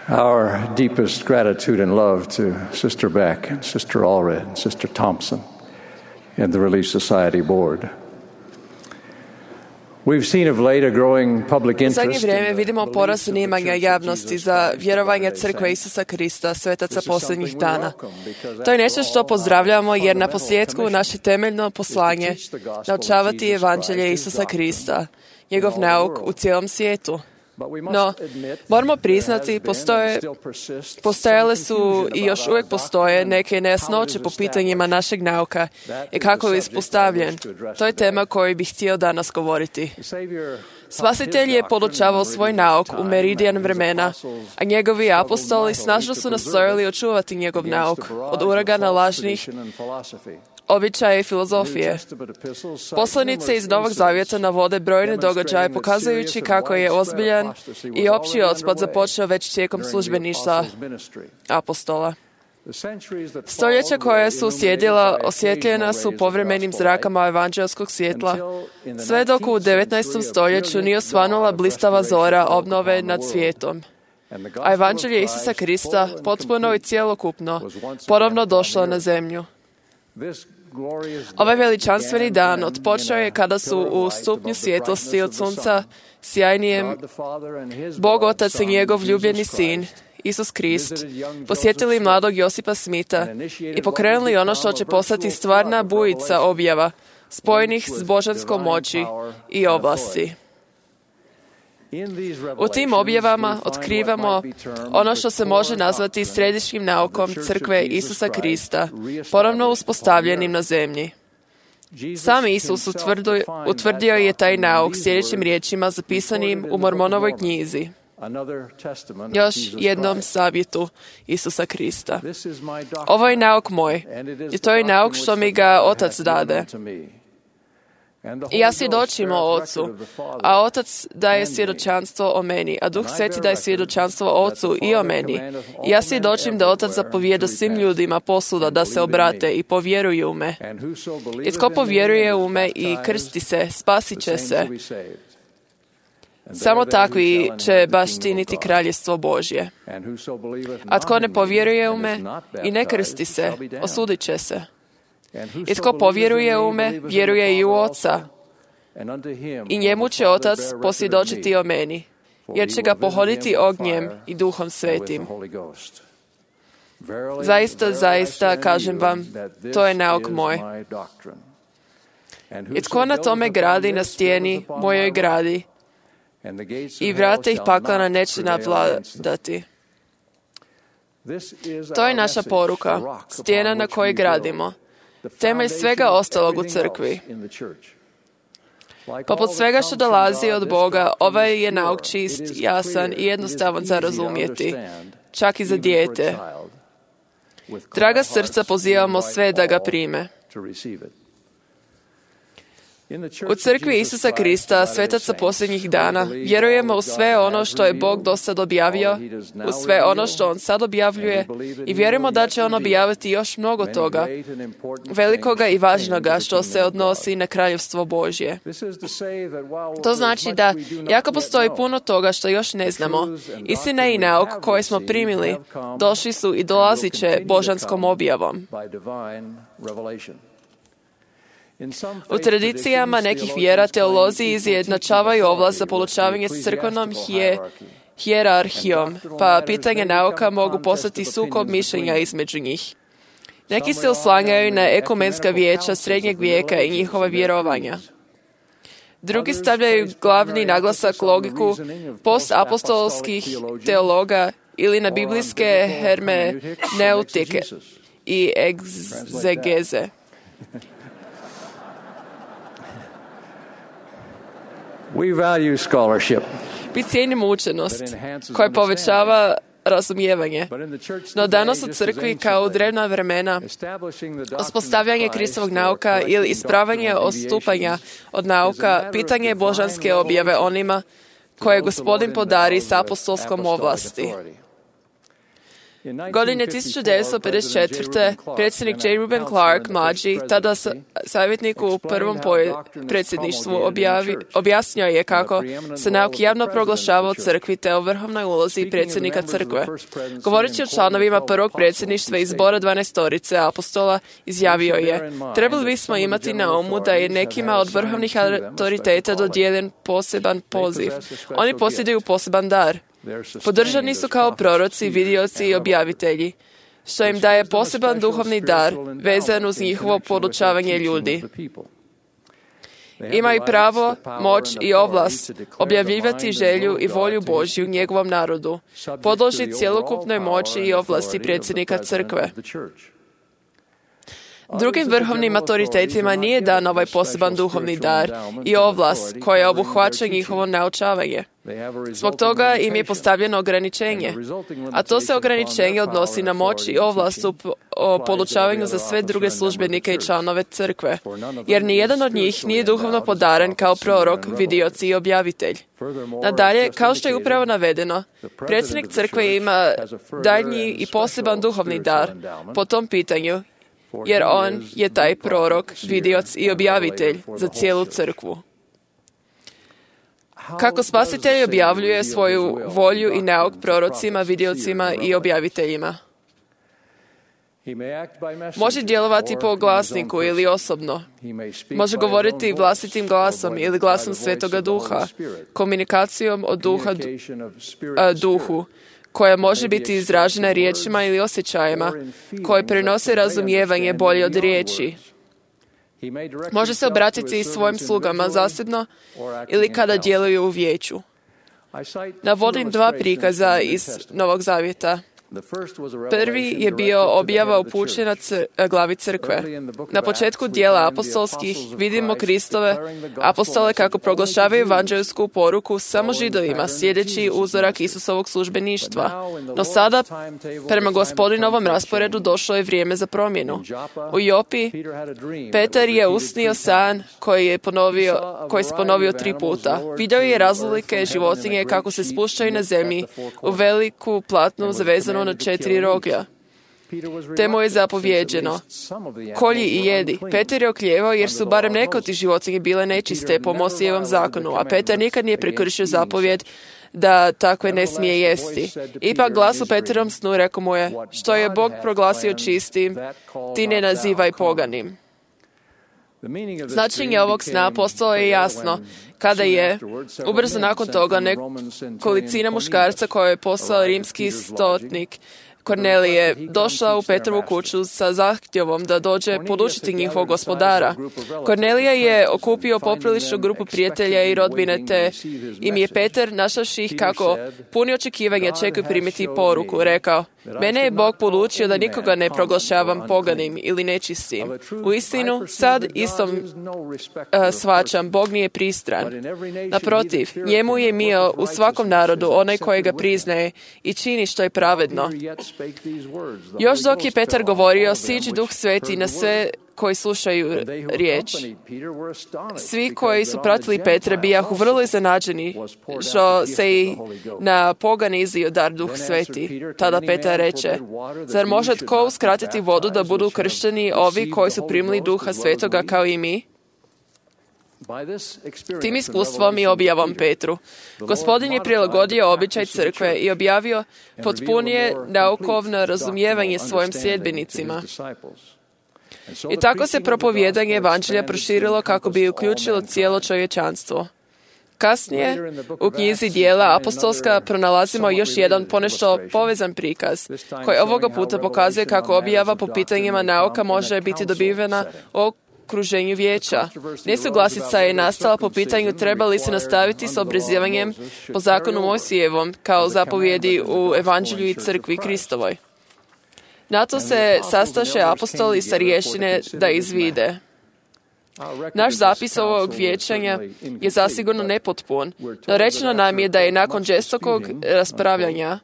Our deepest gratitude and love to Sister Beck and Sister Allred and Sister Thompson and the Relief Society Board. We've seen of late a growing public U interest zadnje vrijeme in vidimo porast zanimanja javnosti za vjerovanje Crkve Isusa Krista, svetaca posljednjih dana. To je nešto što pozdravljamo jer na posljedku naše temeljno poslanje naučavati evanđelje Isusa Krista, njegov nauk u cijelom svijetu. No, moramo priznati, postojale su i još uvijek postoje neke nejasnoće po pitanjima našeg nauka i kako je ispostavljen. To je tema koju bih htio danas govoriti. Spasitelj je podučavao svoj nauk u meridijan vremena, a njegovi apostoli snažno su nastojali očuvati njegov nauk od uragana lažnih običaja i filozofije. Poslanice iz Novog Zavjeta navode brojne događaje pokazujući kako je ozbiljan i opći otpad započeo već tijekom službeništva apostola. Stoljeća koja su uslijedila osvjetljena su povremenim zrakama evanđelskog svjetla, sve dok u 19. stoljeću nije osvanula blistava zora obnove nad svijetom. A evanđelje Isusa Krista potpuno i cjelokupno ponovno došlo na zemlju. Ovaj veličanstveni dan odpočeo je kada su u stupnju svjetlosti od sunca sjajnijem Bog Otac i njegov ljubljeni sin, Isus Krist, posjetili mladog Josipa Smitha i pokrenuli ono što će postati stvarna bujica objava, spojenih s božanskom moći i ovlasti. U tim objavama otkrivamo ono što se može nazvati središnjim naukom Crkve Isusa Krista, ponovno uspostavljenim na zemlji. Sam Isus utvrdio je taj nauk sljedećim riječima zapisanim u Mormonovoj knjizi. Još jednom savjetu Isusa Krista. Ovo je nauk moj i to je nauk što mi ga Otac dade. I ja svjedočim o Ocu, a Otac daje svjedočanstvo o meni, a Duh Sveti daje svjedočanstvo o Ocu i o meni. I ja svjedočim da Otac zapovijeda svim ljudima posvuda da se obrate i povjeruju u me. I tko povjeruje u me i krsti se, spasit će se. Samo takvi će baštiniti kraljevstvo Božje. A tko ne povjeruje u me i ne krsti se, osudit će se. I tko povjeruje u me, vjeruje i u Oca. I njemu će Otac posvjedočiti o meni, jer će ga pohoditi ognjem i Duhom Svetim. Zaista, zaista, kažem vam, to je nauk moj. I tko na tome gradi na stijeni, mojoj gradi, i vrata ih paklana neće navladati. To je naša poruka, stijena na kojoj gradimo. Temelj svega ostalog u crkvi. Poput svega što dolazi od Boga, ovaj je nauk čist, jasan i jednostavan za razumjeti, čak i za dijete. Draga srca, pozivamo sve da ga prime. U crkvi Isusa Krista, svetaca posljednjih dana, vjerujemo u sve ono što je Bog dosad objavio, u sve ono što On sad objavljuje i vjerujemo da će On objaviti još mnogo toga, velikoga i važnoga što se odnosi na kraljevstvo Božje. To znači da, iako postoji puno toga što još ne znamo, istina i nauk koje smo primili, došli su i dolazit će božanskom objavom. U tradicijama nekih vjera teolozi izjednačavaju ovlast za polučavanje s crkvenom hijerarhijom, pa pitanje nauka mogu postati sukob mišljenja između njih. Neki se oslanjaju na ekumenska vijeća srednjeg vijeka i njihova vjerovanja. Drugi stavljaju glavni naglasak logiku postapostolskih teologa ili na biblijske hermeneutike i egzegeze. We value scholarship. Mi cijenimo učenost koja povećava razumijevanje. No danas u crkvi, kao u drevna vremena, uspostavljanje Kristovog nauka ili ispravanje odstupanja od nauka, pitanje je božanske objave onima koje Gospodin podari s apostolskom ovlasti. Godine 1954. predsjednik J. Reuben Clark, mlađi, tada savjetnik u prvom predsjedništvu, objasnio je kako se nauk javno proglašava u crkvi te o vrhovnoj ulozi predsjednika crkve. Govoreći o članovima prvog predsjedništva iz zbora 12 apostola, izjavio je: trebali bismo imati na umu da je nekima od vrhovnih autoriteta dodijeljen poseban poziv. Oni posjeduju poseban dar. Podržani su kao proroci, vidioci i objavitelji, što im daje poseban duhovni dar vezan uz njihovo podučavanje ljudi. Imaju pravo, moć i ovlast objavljivati želju i volju Božju njegovom narodu, podložni cjelokupnoj moći i ovlasti predsjednika crkve. Drugim vrhovnim autoritetima nije dan ovaj poseban duhovni dar i ovlast koja obuhvaća njihovo naučavanje. Zbog toga im je postavljeno ograničenje, a to se ograničenje odnosi na moć i ovlast o podučavanju za sve druge službenike i članove crkve, jer nijedan od njih nije duhovno podaren kao prorok, vidioc i objavitelj. Nadalje, kao što je upravo navedeno, predsjednik crkve ima daljnji i poseban duhovni dar po tom pitanju, jer on je taj prorok, vidioc i objavitelj za cijelu crkvu. Kako Spasitelj objavljuje svoju volju i nauk prorocima, vidiocima i objaviteljima? Može djelovati po glasniku ili osobno. Može govoriti vlastitim glasom ili glasom Svetoga Duha, komunikacijom od duha duhu, koja može biti izražena riječima ili osjećajima, koje prenose razumijevanje bolje od riječi. Može se obratiti i svojim slugama zasebno ili kada djeluju u vijeću. Navodim 2 prikaza iz Novog Zavjeta. Prvi je bio objava upućena glavi crkve. Na početku dijela apostolskih vidimo Kristove apostole kako proglašavaju evanđelsku poruku samo Židovima, slijedeći uzorak Isusovog službeništva. No sada, prema Gospodinovom rasporedu, došlo je vrijeme za promjenu. U Jopi, Petar je usnio san koji se ponovio 3 puta. Vidio je razlike životinje kako se spuštaju na zemlji u veliku platnu zavezanu na 4 roga. Te mu je zapovjeđeno: kolji i jedi. Petar je oklijevao jer su barem neke od tih životinje bile nečiste po Mosijevom zakonu, a Petar nikad nije prekršio zapovjed da takve ne smije jesti. Ipak glas u Petrovom snu rekao mu je: što je Bog proglasio čistim, ti ne nazivaj poganim. Značenje ovog sna postalo je jasno kada je, ubrzo nakon toga, nekolicina muškarca koje je poslao rimski stotnik Kornelije došla u Petrovu kuću sa zahtjevom da dođe podučiti njihovog gospodara. Kornelija je okupio popriličnu grupu prijatelja i rodbine, te im je Petar, našavši ih kako puni očekivanja čekaju primiti poruku, rekao: mene je Bog podučio da nikoga ne proglašavam poganim ili nečistim. Uistinu, sad istom shvaćam, Bog nije pristran. Naprotiv, njemu je mio u svakom narodu onaj koji ga priznaje i čini što je pravedno. Još dok je Petar govorio, siđi Duh Sveti na sve koji slušaju riječ. Svi koji su pratili Petra bijahu vrlo iznenađeni što se i na pogane izlio dar Duh Sveti. Tada Petar reče: zar može tko uskratiti vodu da budu kršteni ovi koji su primili Duha Svetoga kao i mi? Tim iskustvom i objavom Petru, Gospodin je prilagodio običaj crkve i objavio potpunije naukovno razumijevanje svojim sljedbenicima. I tako se propovijedanje evanđelja proširilo kako bi uključilo cijelo čovječanstvo. Kasnije, u knjizi Djela apostolska pronalazimo još jedan ponešto povezan prikaz, koji ovoga puta pokazuje kako objava po pitanjima nauka može biti dobivena u okruženju vijeća. Nesuglasica je nastala po pitanju treba li se nastaviti s obrezivanjem po zakonu Mojsijevom kao zapovjedi u Evanđelju i crkvi Kristovoj. Na to se sastaše apostoli i starješine da izvide. Naš zapis ovog vijećanja je zasigurno nepotpun, no rečeno nam je da je nakon žestokog raspravljanja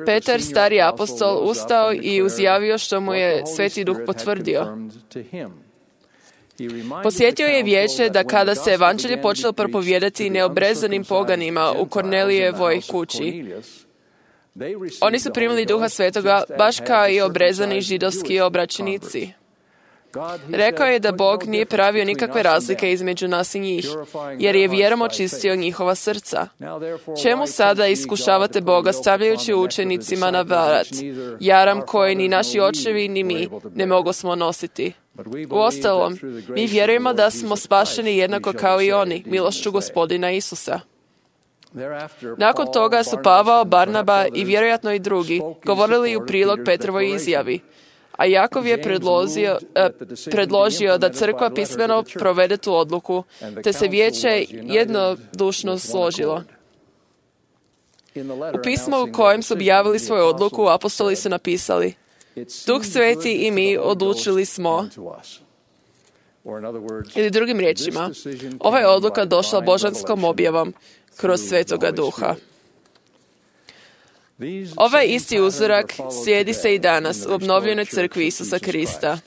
Petar, stari apostol, ustao i uzjavio što mu je Sveti Duh potvrdio. Posjetio je vijeće da kada se evanđelje počelo propovijedati neobrezanim poganima u Kornelijevoj kući, Oni su primili Duha Svetoga baš kao i obrezani židovski obraćenici. Rekao je da Bog nije pravio nikakve razlike između nas i njih, jer je vjerom očistio njihova srca. Čemu sada iskušavate Boga stavljajući učenicima na vrat jaram koji ni naši očevi ni mi ne mogu smo nositi? Uostalom, mi vjerujemo da smo spašeni jednako kao i oni, milošću Gospodina Isusa. Nakon toga su Pavao, Barnaba i vjerojatno i drugi govorili u prilog Petrovoj izjavi, a Jakov je predložio da crkva pismeno provede tu odluku, te se vijeće jednodušno složilo. U pismu u kojem su objavili svoju odluku, apostoli su napisali: Duh Sveti i mi odlučili smo. Ili drugim riječima, ova je odluka došla božanskom objavom kroz Svetoga Duha. Ovaj isti uzorak slijedi se i danas u obnovljenoj crkvi Isusa Krista.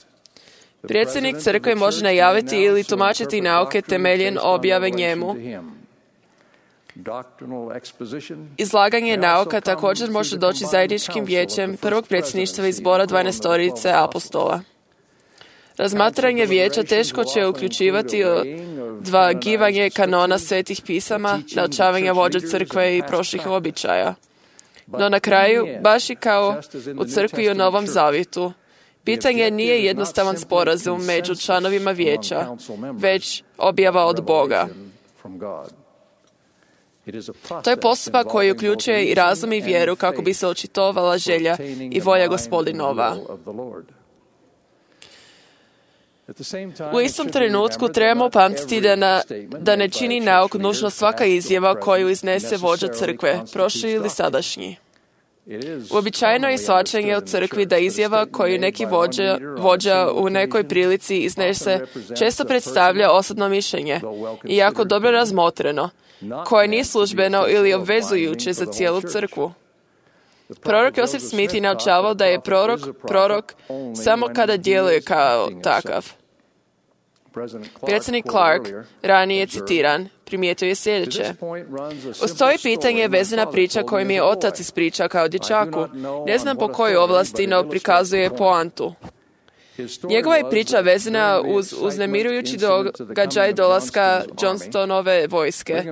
Predsjednik crkve može najaviti ili tumačiti nauke temeljen objave njemu. Izlaganje nauka također može doći zajedničkim vijećem prvog predsjedništva i zbora 12 apostola. Razmatranje vijeća teško će uključivati odvagivanje kanona svetih pisama, naučavanja vođa crkve i prošlih običaja. No na kraju, baš i kao u crkvi u Novom Zavjetu, pitanje nije jednostavan sporazum među članovima vijeća, već objava od Boga. To je postupak koji uključuje i razum i vjeru kako bi se očitovala želja i volja Gospodinova. U istom trenutku trebamo pamtiti da ne čini nauk nužno svaka izjava koju iznese vođa crkve, prošli ili sadašnji. Uobičajeno je shvaćanje u crkvi da izjava koju neki vođa u nekoj prilici iznese često predstavlja osobno mišljenje, iako dobro razmotreno, koje nije službeno ili obvezujuće za cijelu crkvu. Prorok Joseph Smith je naučavao da je prorok samo kada djeluje kao takav. Predsjednik Clark, ranije citiran, primijetio je sljedeće: uz to je pitanje vezana priča koju mi je otac ispričao kao dječaku. Ne znam po kojoj ovlasti, no prikazuje poantu. Njegova je priča vezana uz uznemirujući događaj dolaska Johnstonove vojske,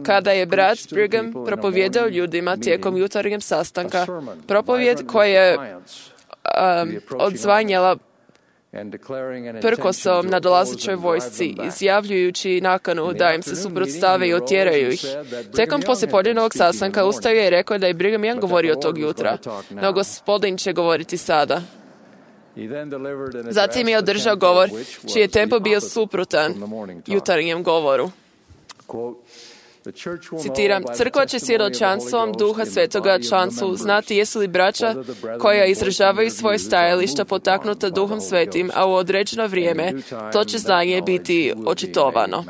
kada je brat Brigham propovijedao ljudima tijekom jutarnjeg sastanka propovijed koja je odzvanjala prkosom na dolazećoj vojsci, izjavljujući nakanu da im se suprotstave i otjeraju ih. Tijekom poslijepodnevnog sastanka ustao je i rekao da je Brigham Young govorio tog jutra, no Gospodin će govoriti sada. Zatim je održao govor čiji je tempo bio suprotan jutarnjem govoru. Citiram: crkva će svjedočanstvom Duha Svetoga članstvu znati jesu li braća koja izražavaju svoje stajališta potaknuta Duhom Svetim, a u određeno vrijeme to će znanje biti očitovano.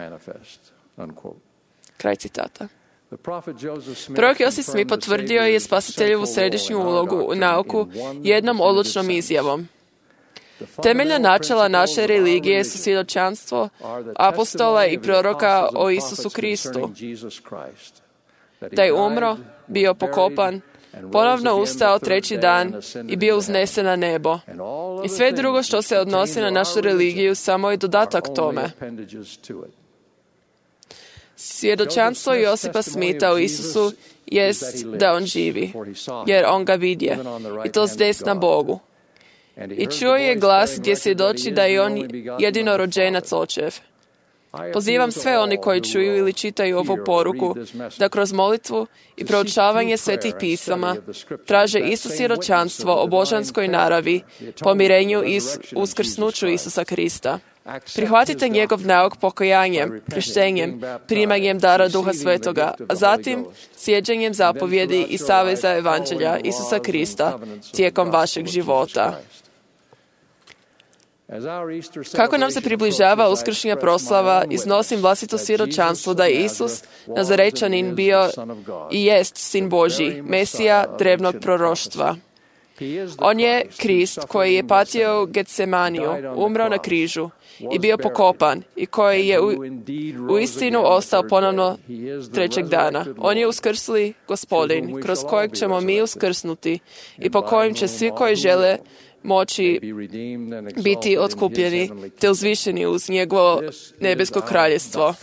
Kraj citata. Prorok Joseph Smith potvrdio je spasiteljevu središnju ulogu u nauku jednom odlučnom izjavom. Temeljna načela naše religije su svjedočanstvo apostola i proroka o Isusu Kristu. Da je umro, bio pokopan, ponovno ustao treći dan i bio uznesen na nebo. I sve drugo što se odnosi na našu religiju samo je dodatak tome. Svjedočanstvo Josipa Smitha o Isusu jest da on živi, jer on ga vidje, i to s desna Bogu. I čuo je glas gdje svjedoči da je on jedinorođenac očev. Pozivam sve oni koji čuju ili čitaju ovu poruku da kroz molitvu i proučavanje svetih pisama traže isto svjedočanstvo o božanskoj naravi, pomirenju i uskrsnuću Isusa Krista. Prihvatite njegov nauk pokajanjem, krštenjem, primanjem dara Duha Svetoga, a zatim sjeđanjem zapovjedi i saveza evanđelja Isusa Krista tijekom vašeg života. Kako nam se približava uskršnja proslava, iznosim vlastito svjedočanstvo da je Isus, Nazarečanin, bio i jest Sin Božji, Mesija drevnog proroštva. On je Krist koji je patio u Getsemaniju, umro na križu i bio pokopan i koji je u istinu ostao ponovno trećeg dana. On je uskrsli Gospodin, kroz kojeg ćemo mi uskrsnuti i po kojem će svi koji žele moći biti otkupljeni te uzvišeni uz njegovo nebesko kraljestvo.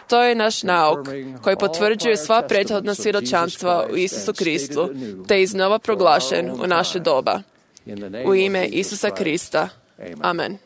To je naš nauk koji potvrđuje sva prethodna svjedočanstva u Isusu Kristu, te je iznova proglašen u naše doba. U ime Isusa Krista. Amen.